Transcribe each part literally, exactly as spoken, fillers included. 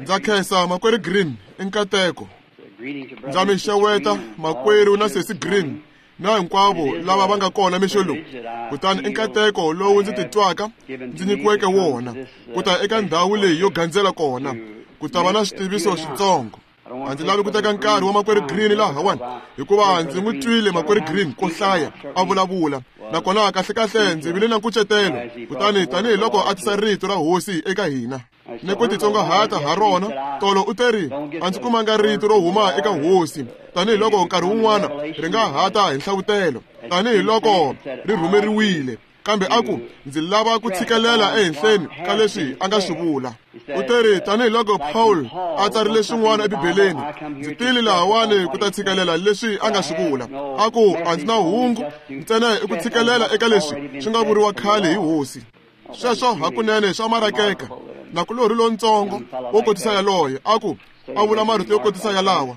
Ndza khensa makwerhu Green i nkateko. Ndza mi xeweta makwerhu na sesi Green na hinkwavo lava va nga kona mixo lowu. Kutani i nkateko lowu ndzi titwaka ndzi nyikiweke wona ku ta eka ndhawu leyi yo gandzela kona ku ta va na switiviso switsongo. A ndzi lavi ku teka nkarhi wa makwerhu Green lahawani hikuva ndzi n'wi twile makwerhu Green ko hlaya a vulavula, nakona kahlekahle ndzi vile na nkucetelo. Kutani tanihiloko a tisa rito ra hosi eka hina ni ku titsongahata ha rona, tolo u teri a ndzi kumanga rito ro huma eka hosi, tanihiloko nkarhi wun'wana ri nga hata hi nhlavutelo tanihiloko ri rhumeriwile, kambe a ku ndzi lava ku tshikelela ehenhleni ka leswi a nga swi vula. U teri tanihiloko Paul a tsarile swin'wana eBibeleni, ndzi tile lahawani ku ta tshikelela leswi a nga swi vula. A ku a ndzi na hungu ntsena i ku tshikelela eka leswi swi nga vuriwa khale hi hosi. Sweswo hakunene swa marakeka. Nakulorhi lontsongo wo kotisa yaloye a ku a vula marito yo kotisa yalawa.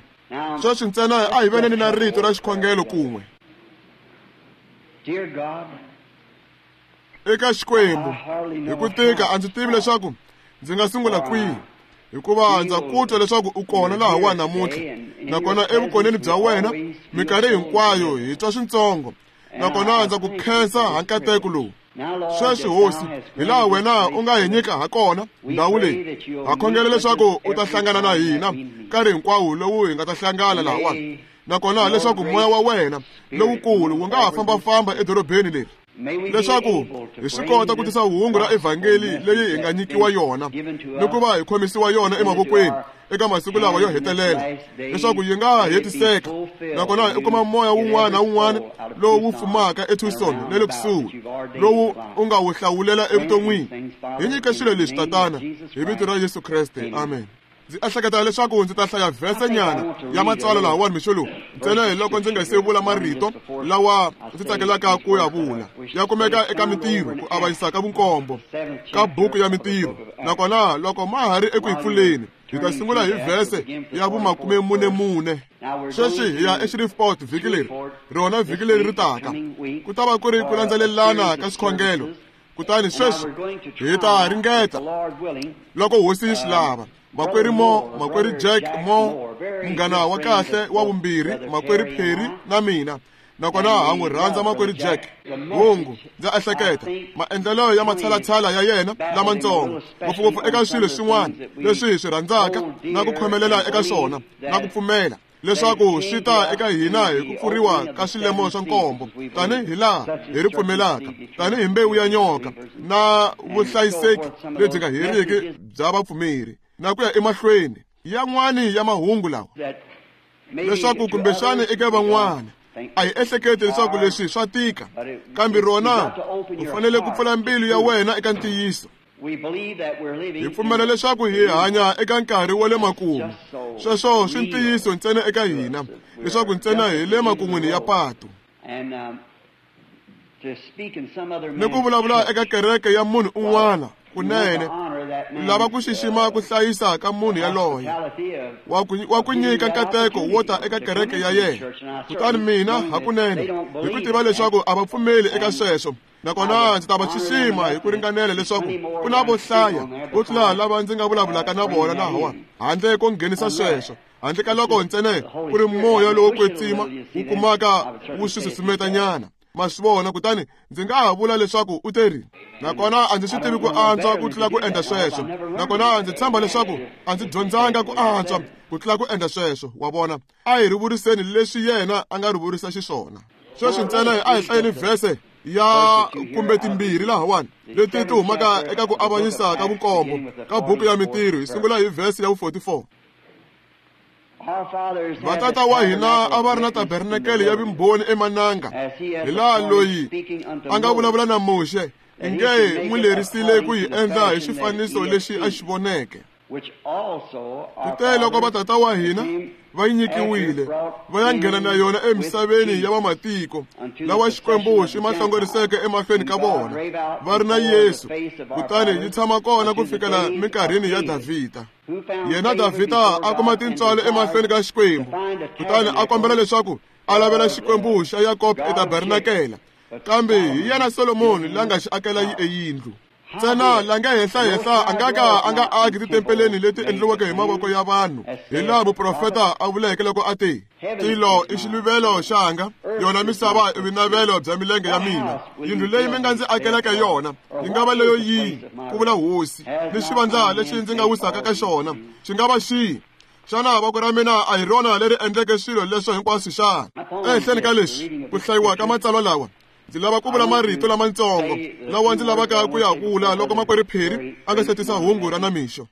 Sweswi ntsena a hi veneni na rito ra xikhongelo kun'we. Eka Xikwembu, hi ku tika a ndzi tivi leswaku ndzi nga sungula kwihi, hikuva ndza ku twa leswaku u kona lahawani namuntlha, nakona evukoneni bya wena minkarhi hinkwayo hi twa swintsongo, nakona ndza ku khensa ha nkateko lowu. Sweswi hosi, hi laha wena u nga hi nyika ha kona ndhawu leyi, ha khongela leswaku u ta hlangana na hina nkarhi hinkwawo lowu hi nga ta hlangana lahawani, nakona leswaku moya wa wena lowukulu wu nga ha fambafamba edorobeni leri, leswaku hi swi kota ku tisa hungu ra evhangeli leyi hi nga nyikiwa yona ni ku va hi khomisiwa yona emavokweni eka masiku lawa yo hetelela, leswaku yi nga hetiseka, nakona i kuma moya wun'wana na wun'wana lowu wu fumaka eTucson na le kusuhi lowu u nga wu hlawulela evuton'wini. Hi nyike swilo leswi Tatana, hi vito ra Yesu Kreste, amen. Ndzi ehleketa leswaku ndzi ta hlaya vhese nyana ya matsalwa lahawani mixo lowu, ntsena hi loko ndzi nga se vula marito lawa ndzi tsakelaka ku ya vula. Ya kumeka eka Mintirho, ku avanyisa ka vunkombo ka buku ya Mintirho, nakona loko ma ha ri eku yi pfuleni hi ta sungula hi vhese ya vumakumemunemune. Sweswi hi ya eShreveport vhiki leri, rona vhiki leri ri taka ku ta va ku ri ku landzelelana ka swikhongelo. Kutani sweswi hi ta ringeta loko hosi yi swi lava. Makwerhu Mo, makwerhu Jack Mo, munghana wa kahle wa vumbirhi, makwerhu Perry na mina, nakona ha n'wi rhandza makwerhu Jack. Hungu ndza ehleketa maendlelo ya matshalatshala ya yena lamatsongo, ngopfungopfu eka swilo swin'wana leswi hi swi rhandzaka na ku khomelela eka swona na ku pfumela leswaku swi ta eka hina hi ku pfuriwa ka swilemo swa nkombo, tanihi laha hi ri pfumelaka, tanihi mbewu ya nyoka na vuhlayiseki lebyi nga heriki bya vapfumeri, na ku ya emahlweni yan'wani ya mahungu lawa, leswaku kumbexani eka van'wana a hi ehleketi leswaku leswi swa tika, kambe rona u fanele ku pfula mbilu ya wena eka ntiyiso. Hi pfumela leswaku hi hanya eka nkarhi wa le makumu. Sweswo swi ntiyiso ntsena eka hina, leswaku ntsena hi le makun'wini ya patu. Ni ku vulavula eka kereke ya munhu un'wana kunene, u lava ku xixima ku hlayisa ka munhu yaloye wa ku wa ku nyika nkateko wo ta eka kereke ya yena. Kutani mina hakunene hi ku tiva leswaku a va pfumeli eka sweswo, nakona ndzi ta va xixima hi ku ringanela leswaku ku na vo hlaya vo tlula lava ndzi nga vulavulaka na vona lahawa, handle ko nghenisa sweswo, handle ka loko ntsena ku ri moya lowo kwetsima wu kumaka wu swi susumetanyana. Ma swi vona? Kutani ndzi nga ha vula leswaku u teri, nakona a ndzi swi tivi ku antswa ku tlula ku endla sweswo, nakona ndzi tshemba leswaku a ndzi dyondzanga ku antswa ku tlula ku endla sweswo. Wa vona, a hi ri vuriseni leswi yena a nga ri vurisa xiswona. Sweswi ntsena a hi hlayeni vhese ya kumbe timbirhi lahawani leti ti humaka eka ku avanyisa ka vunkombo ka buku ya Mintirho. Hi sungula hi vhese ya vu forty-four. Vatata wa hina a va ri na tabernakele ya vumbhoni emananga, hi laha loyi a nga vulavula na Muxe inge n'wi lerisile ku yi endla hi xifaniso lexi a xi voneke. Kute loko vatata wa hina va yi nyikiwile, va ya nghena na yona emisaveni ya vamatiko lawa Xikwembu xi ma hlongoriseke emahlweni ka vona, va ri na Yesu, kutani yi tshama kona ku fikela minkarhini ya Davhida. Yena Davhida a kuma tintswalo emahlweni ka Xikwembu, kutani a kombela leswaku a lavela Xikwembu xa Yakobo etabernakela, kambe hi yena Solomoni la nga xi akela eyindlu. Ntsena la nga henhlahenhla a nga ka a nga aki titempeleni leti endliweke hi mavoko ya vanhu, hi laha muprofeta a vuleke loko a te, tilo i xiluvelo xanga, yona misava i vinavelo bya milenge ya mina. Yindlu leyi mi nga ndzi akeleke yona yi nga va leyo yihi, ku vula hosi, ni xivandla lexi ndzi nga wisaka ka xona xi nga va xihi? Xana voko ra mina a hi rona leri endleke swilo leswo hinkwaswo xana? Ehenhleni ka leswi ku hlayiwa ka matsalwa lawa, ndzi lava ku vula marito lamatsongo lawa ndzi lavaka ku ya vula loko makwerhu Phiri a nga se tisa hungu ra namixo.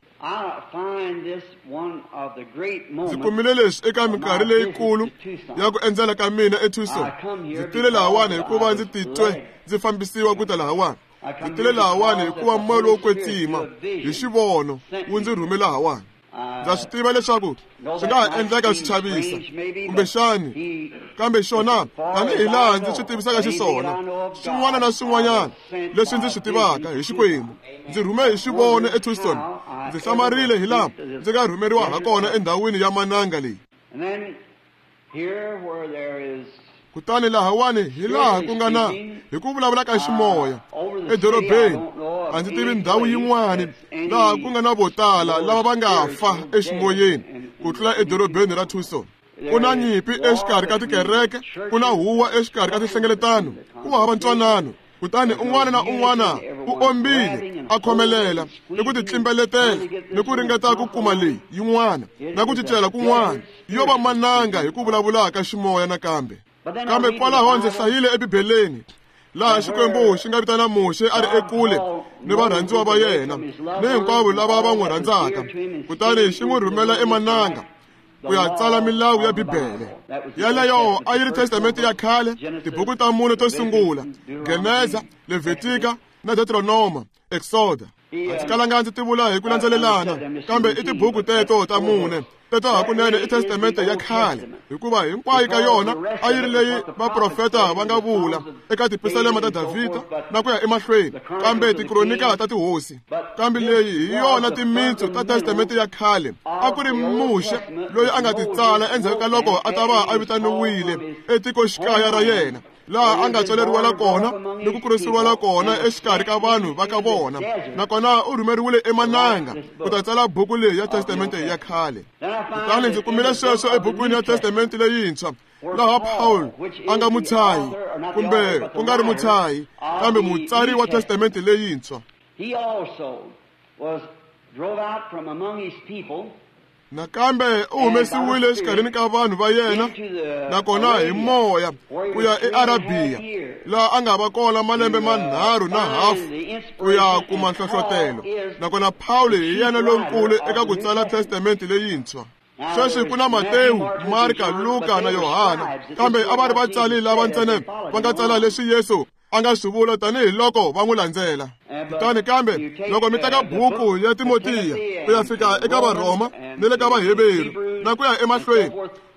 Ndzi kumile leswi eka minkarhi leyikulu ya ku endzela ka mina eTucson. Ndzi tile lahawani hikuva ndzi titwe ndzi fambisiwa ku ta lahawani. Ndzi tile lahawani hikuva moya lowo kwetsima hi xivono wu ndzi rhume lahawani. Ndza swi tiva leswaku swi nga ha endleka swi chavisa kumbexani, kambe xona tanihi laha ndzi swi tivisaka xiswona, swin'wana na swin'wanyana leswi ndzi swi tivaka hi Xikwembu, ndzi rhume hi xivono eTucson. Ndzi hlamarile hi laha ndzi nga rhumeriwa ha kona endhawini ya mananga leyi. Kutani lahawani hi laha ku nga na hi ku vulavula ka ximoya edorobeni, a ndzi tivi ndhawu yin'wani laha ku nga na vo tala lava va nga fa eximoyeni ku tlula edorobeni ra Tucson. Ku na nyimpi exikarhi ka tikereke, ku na huwa exikarhi ka tinhlengeletano, ku hava ntwanano. Kutani un'wana na un'wana u ombile a khomelela ni ku titlimbeletela ni ku ringeta ku kuma leyi yin'wana na ku cincela kun'wana, yo va mananga hi ku vulavula ka ximoya nakambe. Kambe kwalaho ndzi hlayile eBibeleni laha Xikwembu xi nga vitana Muxe a ri ekule ni varhandziwa va yena ni hinkwavo lava va n'wi rhandzaka, kutani xi n'wi rhumela emananga ku ya tsala milawu ya Bibele. Yaleyo a yi ri Testamente ya khale, tibuku ta mune to sungula, Geneza, Levitika na Deuteronoma, Exoda. A ndzi kalanga ndzi ti vula hi ku landzelelana, kambe i tibuku teto ta mune. Teto hakunene i Testamente ya khale, hikuva hinkwayo ka yona a yi ri leyi vaprofeta va nga vula eka tipisalema ta Davhida na ku ya emahlweni, kambe tikronika ta tihosi. Kambe leyi hi yona timitsu ta Testamente ya khale. A ku ri Muxe loyi a nga ti tsala endzhaku ka loko a ta va a vitaniwile etikoxikaya ra yena, laha a nga tswaleriwela kona ni ku kurisiwela kona exikarhi ka vanhu va ka vona, nakona u rhumeriwile emananga ku ta tsala buku leyi ya Testamente ya khale. Kutani ndzi kumile sweswo ebukwini ya Testamente leyintshwa, laha Paul a nga mutshahi, kumbe ku nga ri mutshahi, kambe mutsari wa Testamente leyintshwa. Nakambe u humesiwile exikarhini ka vanhu va yena, nakona hi moya ku ya eArabiya, laha a nga va kona malembe manharhu na hafu ku ya kuma nhlohlotelo. Nakona Pawulo hi yena lonkulu eka ku tsala Testamente leyintshwa. Sweswi ku na Matewu, Marka, Luka na Yohana, kambe a va ri vatsali lava ntsena va nga tsala leswi Yesu a nga swi vula tanihi loko va n'wi landzela. Kutani kambe loko mi teka buku ya Timotiya ku ya fika eka Varhoma ni le ka Vaheveru na ku ya emahlweni,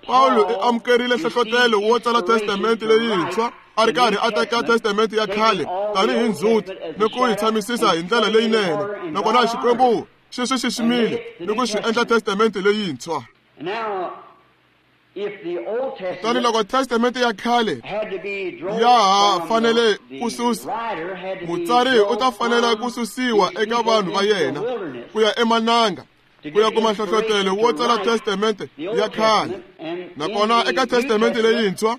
Pawulo u amukerile nhlohlotelo wo tsala Testamente leyintshwa a ri karhi a teka Testamente ya khale tanihi ndzhuti ni ku yi tshamisisa hi ndlela leyinene, nakona Xikwembu xi swi xiximile ni ku swi endla Testamente leyintshwa. Kutani loko Testamente ya khale ya ha fanele ku susa, mutsari u ta fanela ku susiwa eka vanhu va yena ku ya emananga ku ya kuma nhlohlotelo wo tsala Testamente ya khale. Nakona eka Testamente leyintshwa,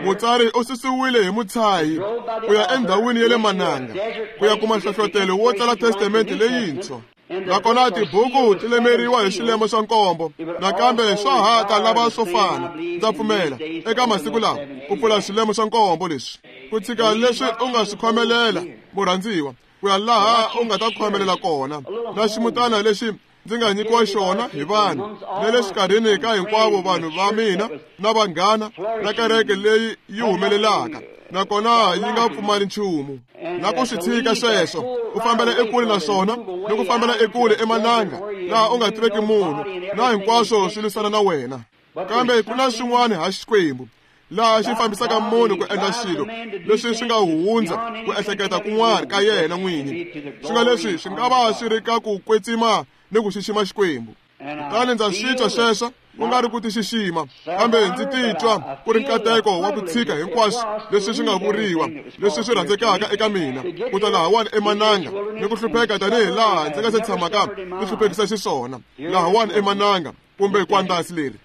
mutsari u susiwile hi mutshahi ku ya endhawini ya le mananga ku ya kuma nhlohlotelo wo tsala Testamente leyintshwa. Nakona tibuku ti lemeriwa hi swilemo swa nkombo, nakambe swa ha ta lava swo fana. Ndza pfumela eka masiku lawa ku pfula swilemo swa nkombo leswi, ku tshika leswi u nga swi khomelela murhandziwa, ku ya laha u nga ta khomelela kona, na ximutana lexi ndzi nga nyikiwa xona hi vanhu, na le xikarhini ka hinkwavo vanhu va mina na vanghana na kereke leyi yi humelelaka, nakona yi nga pfumali nchumu. Na ku swi tshika sweswo, u fambela ekule na swona, ni ku fambela ekule emananga laha u nga tiveki munhu, na hinkwaswo swi lwisana na wena. Kambe ku na swin'wana ha Xikwembu laha xi fambisaka munhu ku endla xilo leswi swi nga hundza ku ehleketa kun'wana ka yena n'winyi, swi nga leswi swi nga va swi ri ka ku kwetsima ni ku xixima Xikwembu. Kutani ndza swi twa sweswo Ku nga ri ku tixixima, kambe ndzi titwa ku ri nkateko wa ku tshika hinkwaswo leswi swi nga vuriwa, leswi swi rhandzekaka eka mina, ku ta lahawani emananga ni ku hlupheka tanihi laha ndzi nga se tshamaka ni hluphekisa xiswona lahawani emananga kumbe kwandasi leri.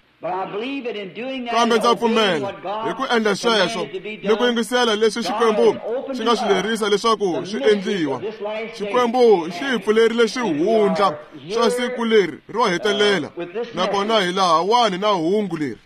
Kambe ndza pfumela hi ku endla sweswo ni ku yingisela leswi Xikwembu xi nga swi lerisa leswaku swi endliwa. Xikwembu xi hi pfulerile swihundla swa siku leri ro hetelela, nakona hi lahawani na hungu leri.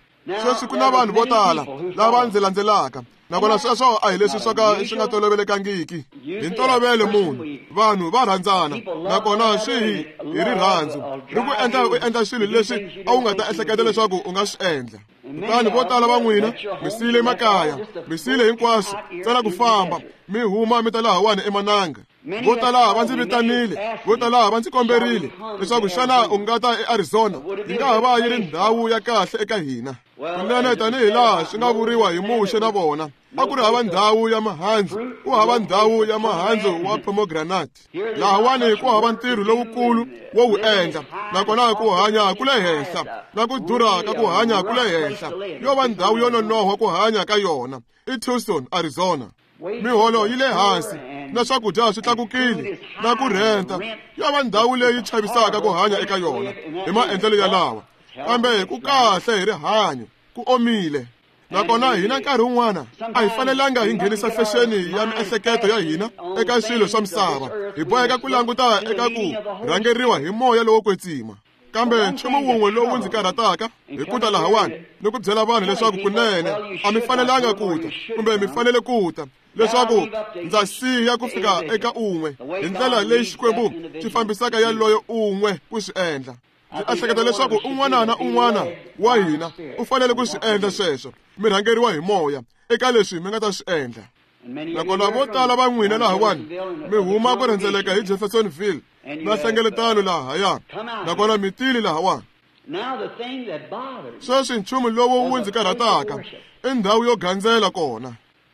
Sweswi ku na vanhu vo tala lava ndzi landzelaka, nakona sweswo a hi leswi swo ka swi nga tolovelekangiki. Hi ntolovelo munhu, vanhu va rhandzana, nakona swi hi hi rirhandzu ri ku endla u endla swilo leswi a wu nga ta ehleketa leswaku u nga swi endla. Kutani vo tala va n'wina mi siyile makaya, mi siyile hinkwaswo ntsena ku famba mi huma mi ta lahawani emananga. Vo tala va ndzi vitanile, vo tala va ndzi komberile leswaku xana u nga ta eArizona, yi nga ha va yi ri ndhawu ya kahle eka hina. Kunene tanihi laha swi nga vuriwa hi Muxe na vona, a ku ri hava ndhawu ya mihandzu, ku hava ndhawu ya mihandzu wa pomegranate. Lahawani ku hava ntirho lowukulu wo wu endla, nakona ku hanya ku le henhla, na ku durha ka ku hanya ku le henhla. Yo va ndhawu yo nonohwa ku hanya ka yona i Tucson, Arizona. Miholo yi le hansi, na swakudya swi tlakukile, na ku rhenta. Yo va ndhawu leyi chavisaka ku hanya eka yona hi maendlelo ya lawa, kambe ku kahle hi rihanyo, ku omile. Nakona hina nkarhi wun'wana a hi fanelanga hi nghenisa fexeni ya miehleketo ya hina eka swilo swa misava. Hi boheka ku languta eka ku rhangeriwa hi moya lowo kwetsima. Kambe nchumu wun'we lowu ndzi karhataka hi ku ta lahawani ni ku byela vanhu leswaku kunene a mi fanelanga ku ta, kumbe mi fanele ku ta, leswaku ndza siya ku fika eka un'we hi ndlela leyi Xikwembu xi fambisaka yaloyo un'we ku swi endla. Ndzi ehleketa leswaku un'wana na un'wana wa hina u fanele ku swi endla sweswo, mi rhangeriwa hi moya eka leswi mi nga ta swi endla. Nakona vo tala va n'wina lahawani mi huma ku rhendzeleka hi Jeffersonville na hlengeletano lahaya, nakona mi tile lahawani. Sweswi nchumu lowu wu ndzi karhataka i ndhawu yo gandzela kona.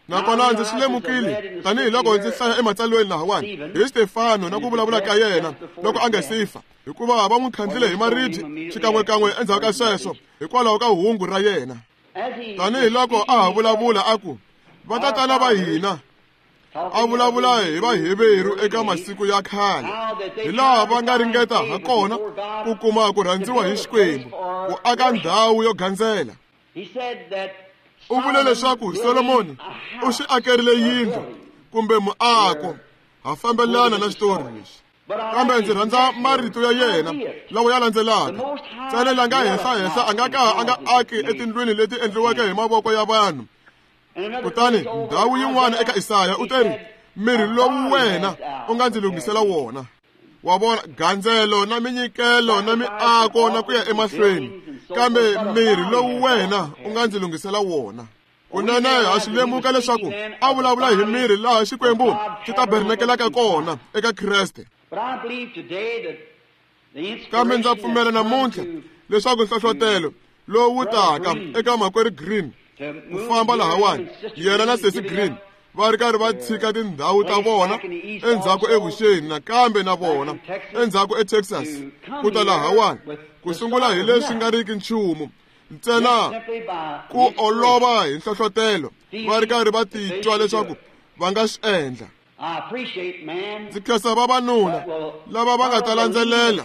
Nakona ndzi swi lemukile tanihiloko ndzi hlaya ematsalweni lahawani hi Stefano na ku vulavula ka yena loko a nga si fa, hikuva va n'wi khandlile hi maribye xikan'wekan'we endzhaku ka sweswo hikwalaho ka hungu ra yena. Tanihiloko a ha vulavula a ku, vatatana va hina, a vulavula hi Vaheveru eka masiku ya khale, hi laha va nga ringeta ha kona ku kuma ku rhandziwa hi Xikwembu, ku aka ndhawu yo gandzela. U vule leswaku Solomoni u xi akerile yindlu kumbe muako. Ha fambelana na xitori lexi, kambe ndzi rhandza marito ya yena lawa ya landzelaka. Ntsena la nga henhlahenhla a nga ka a nga aki etindlwini leti endliweke hi mavoko ya vanhu. Kutani ndhawu yin'wana eka Isaya u teri, mirhi lowu wena u nga ndzi lunghisela wona. Wa vona, gandzelo na minyikelo na miako na ku ya emahlweni, kambe mirhi lowu wena u nga ndzi lunghisela wona. Kunene ha swi lemuka leswaku a vulavula hi mirhi laha Xikwembu xi tabernakelaka kona eka Kreste. Kambe ndza pfumela namuntlha leswaku nhlohlotelo lowu wu taka eka makwerhu Green ku famba lahawani, yena na Sesi Green va ri karhi va tshika tindhawu ta vona endzhaku evuxeni, nakambe na vona endzhaku eTexas ku ta lahawani ku sungula hi leswi nga riki nchumu ntsena ku olova hi nhlohlotelo, va ri karhi va titwa leswaku va nga swi endla. Ndzi khensa vavanuna lava va nga ta landzelela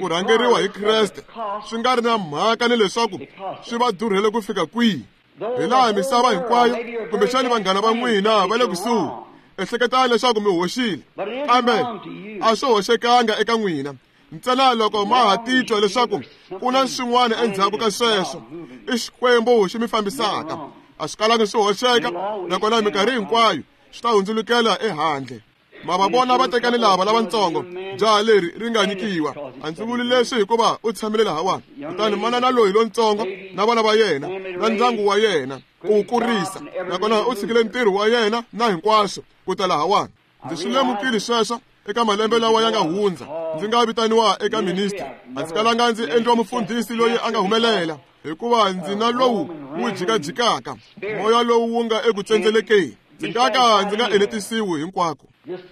ku rhangeriwa hi Kreste, swi nga ri na mhaka ni leswaku swi va durhele ku fika kwihi. Hi laha misava hinkwayo, kumbexani vanghana va n'wina va le kusuhi, ehleketani leswaku mi hoxile, kambe a swi hoxekanga eka n'wina. Ntsena loko ma ha titwa leswaku ku na swin'wana endzhaku ka sweswo, i Xikwembu xi mi fambisaka. A swi kalanga swi hoxeka, nakona minkarhi hinkwayo swi ta hundzulukela ehandle. Ma va vona vatekani lava lavatsongo, jaha leri ri nga nyikiwa. A ndzi vuli leswi hikuva u tshamile lahawani. Kutani manana loyi lontsongo na vana va yena na ndyangu wa yena ku wu kurisa, nakona u tshikile ntirho wa yena na hinkwaswo ku ta lahawani. Ndzi swi lemukile sweswo eka malembe lawa ya nga hundza. Ndzi nga vitaniwa eka ministry, a ndzi kalanga ndzi endliwa mufundhisi loyi a nga humelela, hikuva ndzi na lowu wu jikajikaka, moya lowu wu nga eku tsendzelekeni. Ndzi nga ka ndzi nga enetisiwi hinkwako.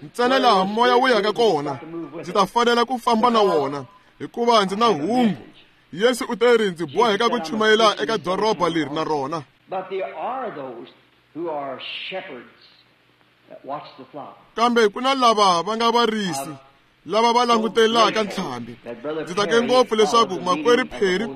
Ntsena laha moya wu yaka kona, ndzi ta fanela ku famba na wona, hikuva ndzi na hungu. Yesu u teri ndzi boheka ku chumayela eka doroba leri na rona. Kambe ku na lava va nga varisi lava va langutelaka ntlhambi. Ndzi tsake ngopfu leswaku makwerhu Perry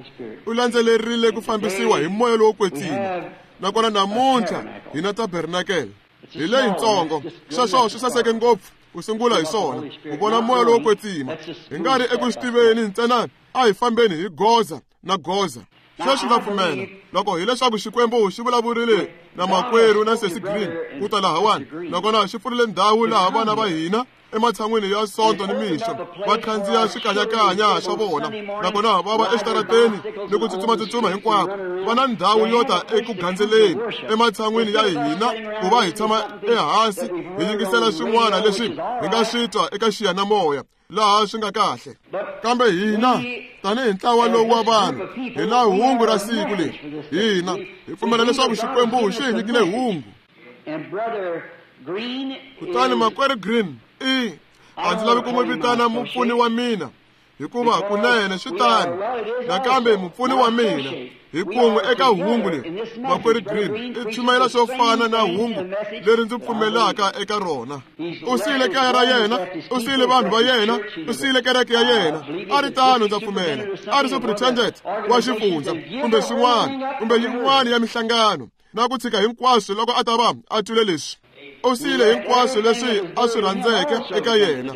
u landzelerile ku fambisiwa hi moya lowo kwetsima. Nakona namuntlha hi na tabernakele hi leyitsongo. Sweswo swi saseke ngopfu ku sungula hi swona ku vona moya lowo kwetsima. Hi nga ri eku swi tiveni ntsena, a hi fambeni hi goza na goza. Sweswi ndza pfumela loko hileswaku Xikwembu xi vulavurile na makwerhu na Sesi Green ku ta lahawani, nakona xi pfurile ndhawu laha vana va hina ematshan'wini ya Sonto ni mixo va khandziya swikanyakanya swa vona, nakona va va exitarateni ni ku tsutsumatsutsuma hinkwako. Va na ndhawu yo ta eku gandzeleni ematshan'wini ya hina ku va hi tshama ehansi hi yingisela swin'wana leswi hi nga swi twa eka xiyanimoya laha swi nga kahle. Kambe hina tanihi ntlawa lowu wa vanhu hi na hungu ra siku leri. Hina hi pfumela leswaku Xikwembu xi hi nyikile hungu. Kutani makwerhu Green i a ndzi lavi ku n'wi vitana mupfuni wa mina, hikuva kunene swi tano. Nakambe mupfuni wa mina hi kun'we eka hungu leri, makwerhu Green i chumayela swo fana na hungu leri ndzi pfumelaka eka rona. U siyile kaya ra yena, u siyile vanhu va yena, u siyile kereke ya yena. A ri tano, ndza pfumela a ri superintendent wa xifundza kumbe swin'wana kumbe yin'wana ya mihlangano, na ku tshika hinkwaswo loko a ta va a twile leswi. U siyile hinkwaswo leswi a swi rhandzeke eka yena.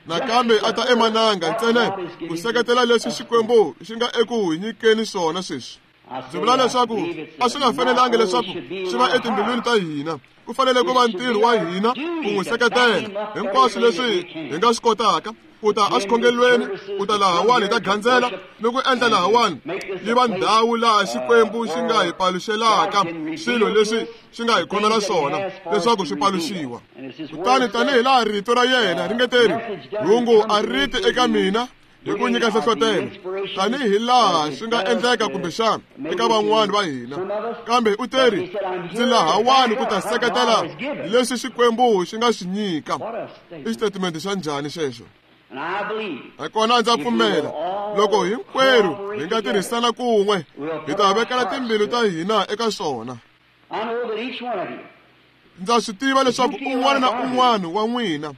Nakambe a ta emananga ntsena ku seketela leswi Xikwembu xi nga eku hi nyikeni swona sweswi. Ndzi vula leswaku a swi nga fanelangi leswaku swi va etimbilwini ta hina. Ku fanele ku va ntirho wa hina ku n'wi seketela hinkwaswo leswi hi nga swi kotaka, ku ta exikhongelweni, ku ta lahawani hi ta gandzela ni ku endla lahawani yi va ndhawu laha Xikwembu xi nga hi paluxelaka swilo leswi xi nga hi khomela swona leswaku swi paluxiwa. Kutani tanihi laha rito ra yena ri nge teri, hungu a ri ti eka mina hi ku nyika nhlohlotelo, tanihi laha swi nga endleka kumbexana eka van'wani va hina, kambe u teri ndzi lahawani ku ta seketela leswi Xikwembu xi nga swi nyika. I xitatimende xa njhani xexo? Nakona ndza pfumela loko hinkwerhu hi nga tirhisana kun'we hi ta vekela timbilu ta hina eka swona. Ndza swi tiva leswaku un'wana na un'wana wa n'wina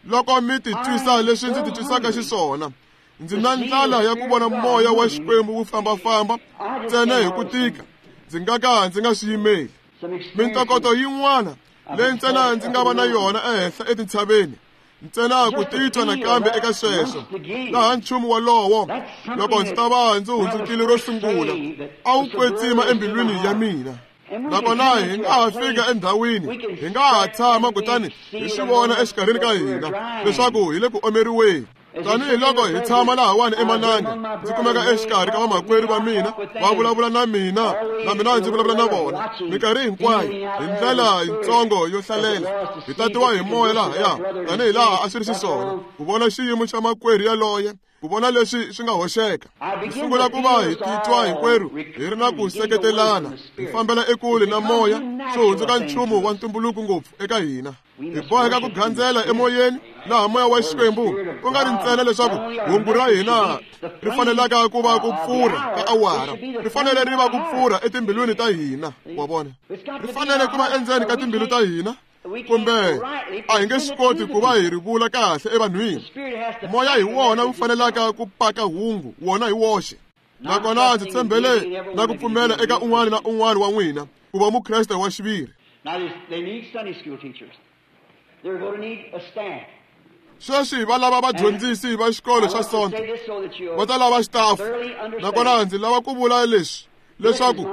loko mi titwisa leswi ndzi titwisaka xiswona, ndzi na ndlala ya ku vona moya wa Xikwembu wu fambafamba ntsena hi ku tika. Ndzi nga ka ndzi nga swi yimeli. Mintokoto yin'wana leyi ntsena ndzi nga va na yona ehenhla etintshaveni, ntsena ku titwa nakambe eka sweswo laha nchumu wolowo loko ndzi ta va ndzi hundzukile ro sungula a wu kwetsima embilwini ya mina. Nakona hi nga ha fika endhawini, hi nga ha tshama kutani hi swi vona exikarhini ka hina leswaku hi le ku omeriweni. Tanihi loko hi tshama lahawani emananga, ndzi kumeka exikarhi ka vamakwerhu va mina va vulavula na mina, na mina ndzi vulavula na vona minkarhi hinkwayo hi ndlela yitsongo yo hlalela. Hi tatiwa hi moya lahaya tanihi laha a swi ri xiswona ku vona xiyimo xa makwerhu yaloye, ku vona leswi swi nga hoxeka. Hi sungula ku va hi titwa hinkwerhu hi ri na ku seketelana, hi fambela ekule na moya, swi hundzuka nchumu wa ntumbuluko ngopfu eka hina. Hi boheka ku gandzela emoyeni laha moya wa Xikwembu ku nga ri ntsena leswaku hungu ra hina ri fanelaka ku va ku pfurha ka awara, ri fanele ri va ku pfurha etimbilwini ta hina. Wa vona, ri fanele ku va endzeni ka timbilu ta hina, kumbe a hi nge swi koti ku va hi ri vula kahle evanhwini. Moya hi wona wu fanelaka ku paka hungu wona hi woxe. Nakona ndzi tshembele na ku pfumela eka un'wana na un'wana wa n'wina ku va mukreste wa xiviri. Sweswi va lava vadyondzisi va xikolo xa Sonto, va ta lava xitafu. Nakona ndzi lava ku vula leswi leswaku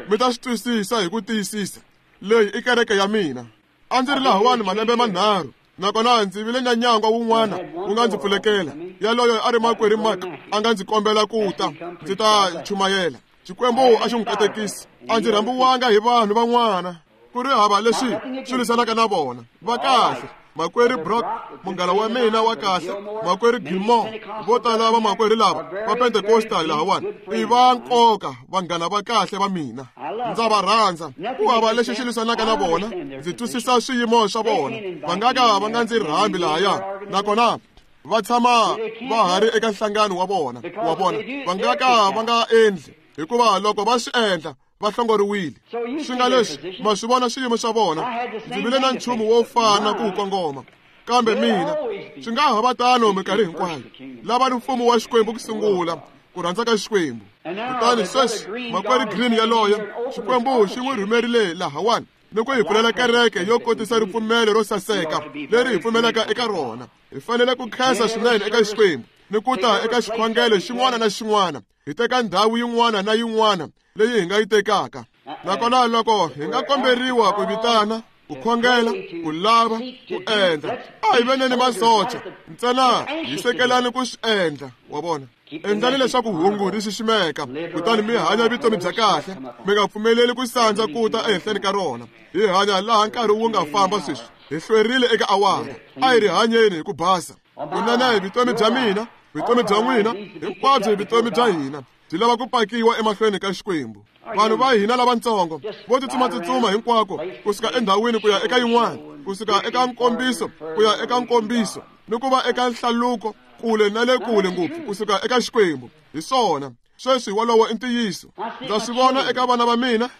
mi ta swi twisisa hi ku tiyisisa. Leyi i kereke ya mina. A ndzi ri lahawani malembe manharhu, nakona ndzi vile na nyangwa wun'wana wu nga ndzi pfulekela. Yaloyo a ri makwerhu Mark a nga ndzi kombela ku ta ndzi ta chumayela. Xikwembu a xi n'wi katekisi. A ndzi rhambiwanga hi vanhu van'wana ku ri hava leswi swi lwisanaka na vona. Va kahle makwerhu Brock, munghana wa mina wa kahle, makwerhu Gilmore, vo tala va makwerhu lava va Pentecostal lahawani i va nkoka, vanghana va kahle va mina. Ndza va rhandza. Ku hava lexi xi lwisanaka na vona. Ndzi twisisa swiyimo swa vona. Va nga ka va nga ndzi rhambi lahaya, nakona Va tshama va ha ri eka nhlangano wa vona, wa vona. Va nga ka va nga endli, hikuva loko va swi endla va hlongoriwile. Swi nga leswi ma swi vona swiyimo swa vona. Ndzi vile na nchumu wo fana ku wu kongoma, kambe mina swi nga ha va tano minkarhi hinkwayo. Lavani mfumo wa Xikwembu ku sungula, ku rhandza ka Xikwembu. Kutani sweswi makwerhu Green yaloye, Xikwembu xi n'wi rhumerile lahawani ni ku hi pfulela kereke yo kotisa ripfumelo ro saseka leri hi pfumelaka eka rona. Hi fanele ku khensa swinene eka Xikwembu ni ku ta eka xikhongelo xin'wana na xin'wana, hi teka ndhawu yin'wana na yin'wana leyi hi nga yi tekaka. Nakona loko hi nga komberiwa ku vitana, ku khongela, ku lava, ku endla, a hi veneni masocha ntsena hi sekelani ku swi endla, wa vona. Endlani leswaku hungu ri xiximeka, kutani mi hanya vutomi bya kahle, mi nga pfumeleli ku sandza ku ta ehenhleni ka rona. Hi hanya laha nkarhi wu nga famba sweswi, hi hlwerile eka awara. A hi ri hanyeni hi ku basa. Kunene vutomi bya mina, vutomi bya n'wina, hinkwabyo vutomi bya hina byi lava ku pakiwa emahlweni ka Xikwembu. Vanhu va hina lavatsongo vo tsutsumatsutsuma hinkwako, kusuka endhawini ku ya eka yin'wana, kusuka eka nkombiso ku ya eka nkombiso, ni ku va eka nhlaluko kule na le kule ngopfu kusuka eka Xikwembu. Hi swona sweswi wolowo i ntiyiso. Ndza swi vona eka vana va mina,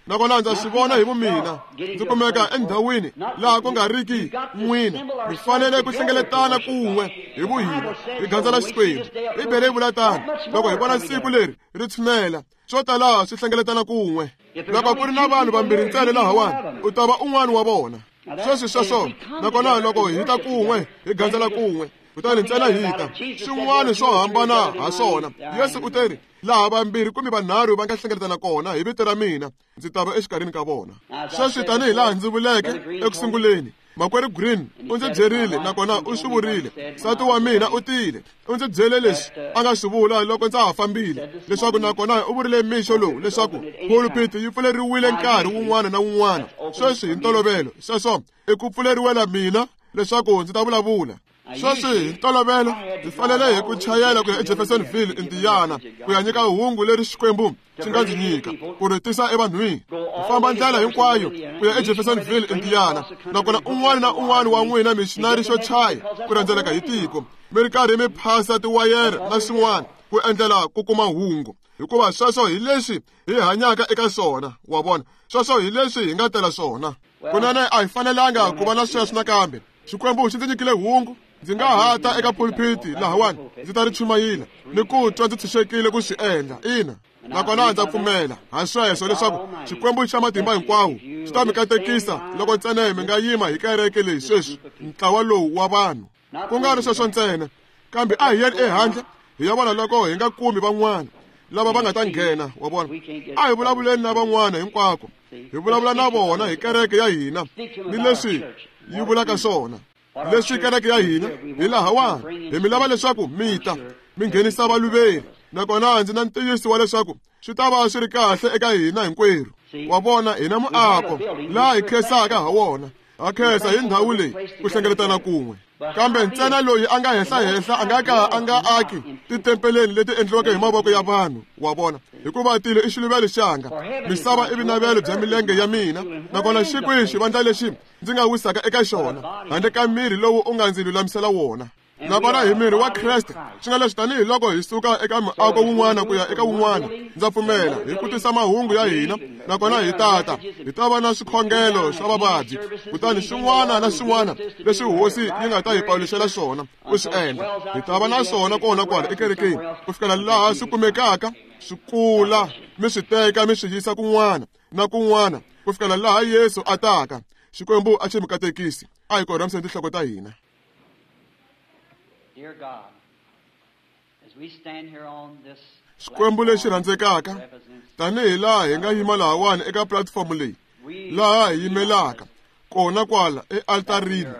nakona ndza swi vona hi vumina. Ndzi kumeka endhawini laha ku nga riki n'wina. Mi fanele ku hlengeletana kun'we hi vuhina, hi gandzela Xikwembu. Bibele yi vula tano, loko hi vona siku leri ri tshinela, swo tala swi hlengeletana kun'we. Loko ku ri na vanhu vambirhi ntsena lahawani, u ta va un'wana wa vona. Sweswi sweswo, nakona loko hi ta kun'we, hi gandzela kun'we, kutani ntsena hi ta swin'wana swo hambana ha swona. Yesu u teri, laha vambirhi kumbe vanharhu va nga hlengeletana kona hi vito ra mina, ndzi ta va exikarhini ka vona. Sweswi tanihi laha ndzi vuleke eku sunguleni, makwerhu Green u ndzi byerile, nakona u swi vurile. Nsati wa mina u tile, u ndzi byele leswi a nga swi vula loko ndza ha fambile, leswaku nakona u vurile mixo lowu leswaku pulpit yi pfuleriwile nkarhi wun'wana na wun'wana. Sweswi hi ntolovelo sweswo i ku pfuleriwela mina leswaku ndzi ta vulavula. Sweswi hi ntolovelo ndzi fanele hi ku chayela ku ya eJeffersonville, Indiana, ku ya nyika hungu leri Xikwembu xi nga ndzi nyika ku ri tisa evanhwini. Ku famba ndlela hinkwayo ku ya eJeffersonville, Indiana, nakona un'wana na un'wana wa n'wina missionary xo chaya ku rhendzeleka hi tiko, mi ri karhi mi phasa tiwayere na swin'wana ku endlela ku kuma hungu, hikuva sweswo hi leswi hi hanyaka eka swona, wa vona. Sweswo hi leswi hi nga tela swona. Kunene a hi fanelanga ku va na sweswo nakambe. Xikwembu xi ndzi nyikile hungu. Ndzi nga ha ta eka pulpiti lahawani, ndzi ta ri chumayela ni ku twa ndzi tshunxekile ku swi endla. Ina, nakona ndza pfumela ha sweswo leswaku Xikwembu xa matimba hinkwawo xi ta mi katekisa loko ntsena mi nga yima hi kereke leyi sweswi, ntlawa lowu wa vanhu. Ku nga ri sweswo ntsena, kambe a hi yeni ehandle hi ya vona loko hi nga kumi van'wana lava va nga ta nghena, wa vona. A hi vulavuleni na van'wana hinkwako, hi vulavula na vona hi kereke ya hina ni leswi yi vulaka swona. Leswi kereke ya hina hi lahawani, hi mi lava leswaku mi ta mi nghenisa valuveri, nakona ndzi na ntiyiso wa leswaku swi ta va swi ri kahle eka hina hinkwerhu. Wa vona, hina muako laha hi khensaka ha wona, ha khensa hi ndhawu leyi ku hlengeletana kun'we. Kambe ntsena loyi a nga henhlahenhla a nga ka a nga aki titempeleni leti endliweke hi mavoko ya vanhu, wa vona, hikuva tilo i xiluvelo xanga, misava i vinavelo bya milenge ya mina, nakona xi kwihi xivandla lexi ndzi nga wisaka eka xona handle ka miri lowu u nga ndzi lulamisela wona? Nakona hi miri wa Kreste. Swi nga leswi tanihiloko hi suka eka muako wun'wana ku ya eka wun'wana, ndza pfumela hi ku tisa mahungu ya hina, nakona hi tata hi ta va na swikhongelo swa vavabyi, kutani swin'wana na swin'wana leswi hosi yi nga ta hi paluxela swona ku swi endla, hi ta va na swona kona kwala ekerekeni ku fikela laha swi kumekaka swi kula, mi swi teka mi swi yisa kun'wana na kun'wana ku fikela laha Yesu a taka. Xikwembu a xi mi katekisi. A hi korhamiseni tinhloko ta hina. Xikwembu lexi rhandzekaka, tanihi laha hi nga yima lahawani eka platform leyi, laha hi yimelaka kona kwala ealtarini,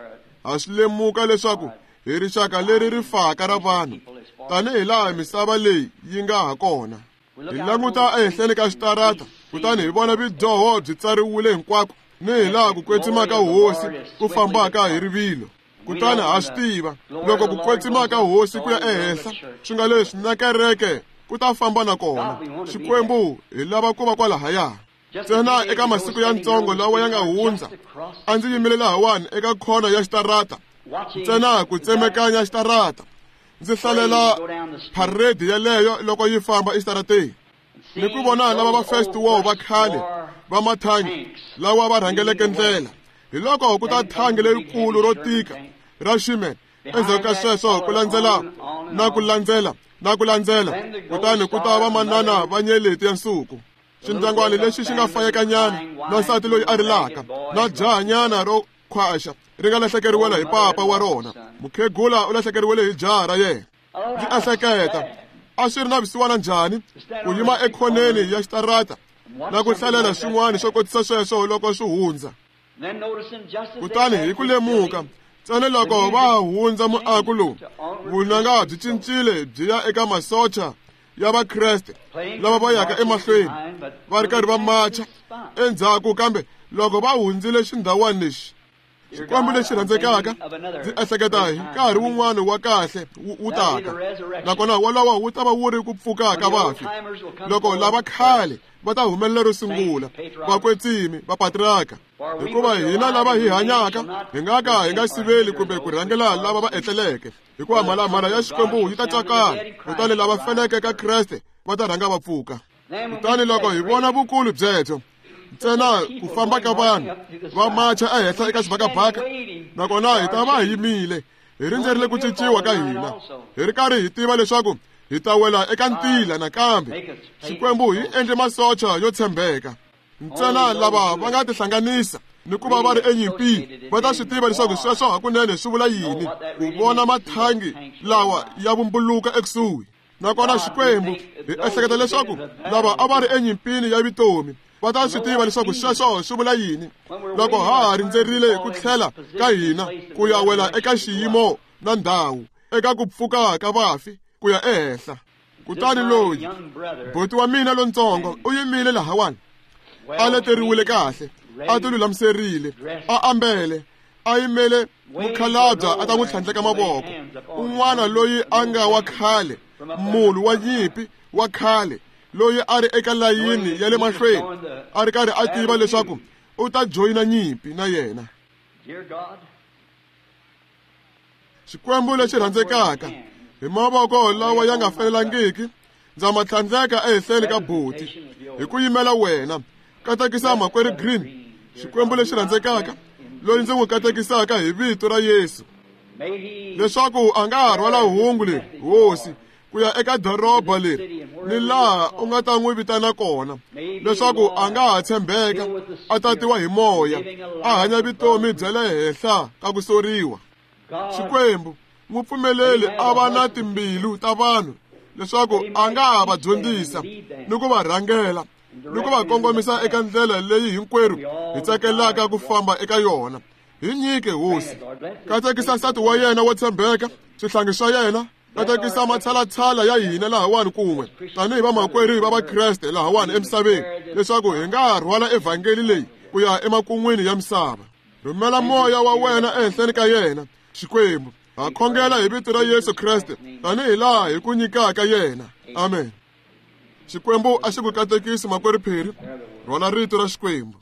ha swi lemuka leswaku hi rixaka leri ri faka ra vanhu, tanihi laha misava leyi yi nga ha kona. Hi languta ehenhleni ka xitarata, kutani hi vona vidyoho byi tsariwile hinkwako, ni hi laha ku kwetsima ka hosi ku fambaka hi rivilo. Kutani ha swi tiva loko ku kwetsima ka hosi ku ya ehenhla, swi nga leswi na kereke ku ta famba na kona. Xikwembu hi lava ku va kwalahaya. Ntsena eka masiku ya ntsongo lawa ya nga hundza, a ndzi yimile lahawani eka khona ya xitarata Ntsena ku tsemekanya xitarata. Ndzi hlalela parade yeleyo loko yi famba exitarateni. Ni ku vona lava va first war va khale va mathangi lawa va rhangeleke ndlela. Hi loko ku ta thangi lerikulu ro tika ra Sherman. Endzhaku ka sweswo ku landzela na ku landzela na ku landzela, kutani ku ta va manana va nyeleti ya nsuku. Xindyangwana lexi xi nga fayekanyana na nsati loyi a rilaka na jahanyana ro khwaxa ri nga lahlekeriwela hi papa wa rona. Mukhegula u lahlekeriwele hi jaha ra yena. Ndzi ehleketa a swi ri na vusiwana njhani ku yima ekhoneni ya xitarata na ku hlalela swin'wana swo kotisa sweswo loko swi hundza. Kutani hi ku lemuka ntsena loko va hundza muako lowu, vunanga byi cincile byi ya eka masocha ya Vakreste lava va yaka emahlweni va ri karhi va macha endzhaku. Kambe loko va hundzile xindhawana lexi, Xikwembu lexi rhandzekaka, ndzi ehleketa hi nkarhi wun'wana wa kahle wu taka, nakona wolowo wu ta va wu ri ku pfuka ka vafi, loko lava khale va ta humelela ro sungula, vakwetsimi va patriarka. Hikuva hina lava hi hanyaka hi nga ka hi nga siveli kumbe ku rhangela lava va etleleke, hikuva mhalamhala ya Xikwembu yi ta tsakala, kutani lava feleke ka Kreste va ta rhanga va pfuka. Kutani loko hi vona vukulu byebyo, ntsena ku famba ka vanhu va macha ehenhla eka xibakabaka, nakona hi ta va hi yimile hi rindzerile ku cinciwa ka hina, hi ri karhi hi tiva leswaku hi ta wela eka ntila nakambe. Xikwembu hi endle masocha yo tshembeka. Ntsena lava va nga tihlanganisa ni ku va va ri enyimpini va ta swi tiva leswaku sweswo hakunene swi vula yini ku vona mathangi lawa ya vumbuluka ekusuhi. Nakona Xikwembu hi ehleketa leswaku lava a va ri enyimpini ya vutomi va ta swi tiva leswaku sweswo swi vula yini loko ha ha rindzerile ku tlhela ka hina ku ya wela eka xiyimo na ndhawu eka ku pfuka ka vafi ku ya ehenhla. Kutani loyi buti wa mina lontsongo u yimile lahawani, a leteriwile kahle, a tilulamiserile, a ambele, a yimele mukhalabya a ta n'wi tlhandleka mavoko. Un'wana loyi a nga wa khale, munhu wa nyimpi wa khale, loyi a ri eka layini ya le mahlweni, a ri karhi a tiva leswaku u ta joyina nyimpi na yena. Xikwembu lexi rhandzekaka, hi mavoko lawa ya nga fanelangiki ndza ma tlhandleka ehenhleni ka buti hi ku yimela wena. Katekisa makwerhu Green, Xikwembu lexi rhandzekaka, loyi ndzi n'wi katekisaka hi vito ra Yesu, leswaku a nga ha rhwala hungu leri, Hosi, ku ya eka doroba leri ni laha u nga ta n'wi vitana kona, leswaku a nga ha tshembeka, a tatiwa hi moya, a hanya vutomi bya le henhla ka ku soriwa. Xikwembu, n'wi pfumeleli a va na timbilu ta vanhu, leswaku a nga ha va dyondzisa ni ku va rhangela ni ku va kongomisa eka ndlela leyi hinkwerhu hi tsakelaka ku famba eka yona. Hi nyike, Hosi. Katekisa nsati wa yena wo tshembeka, swihlangi swa yena. Katekisa matshalatshala ya hina lahawani kun'we tanihi vamakwerhu va Vakreste lahawani emisaveni, leswaku hi nga rhwala evhangeli leyi ku ya emakun'wini ya misava. Rhumela moya wa wena ehenhleni ka yena, Xikwembu. Ha khongela hi vito ra Yesu Kreste tanihi laha hi ku nyikaka yena. Amen. Xikwembu a xi ku katekisi makwerhu Phiri, rhwala rito ra Xikwembu.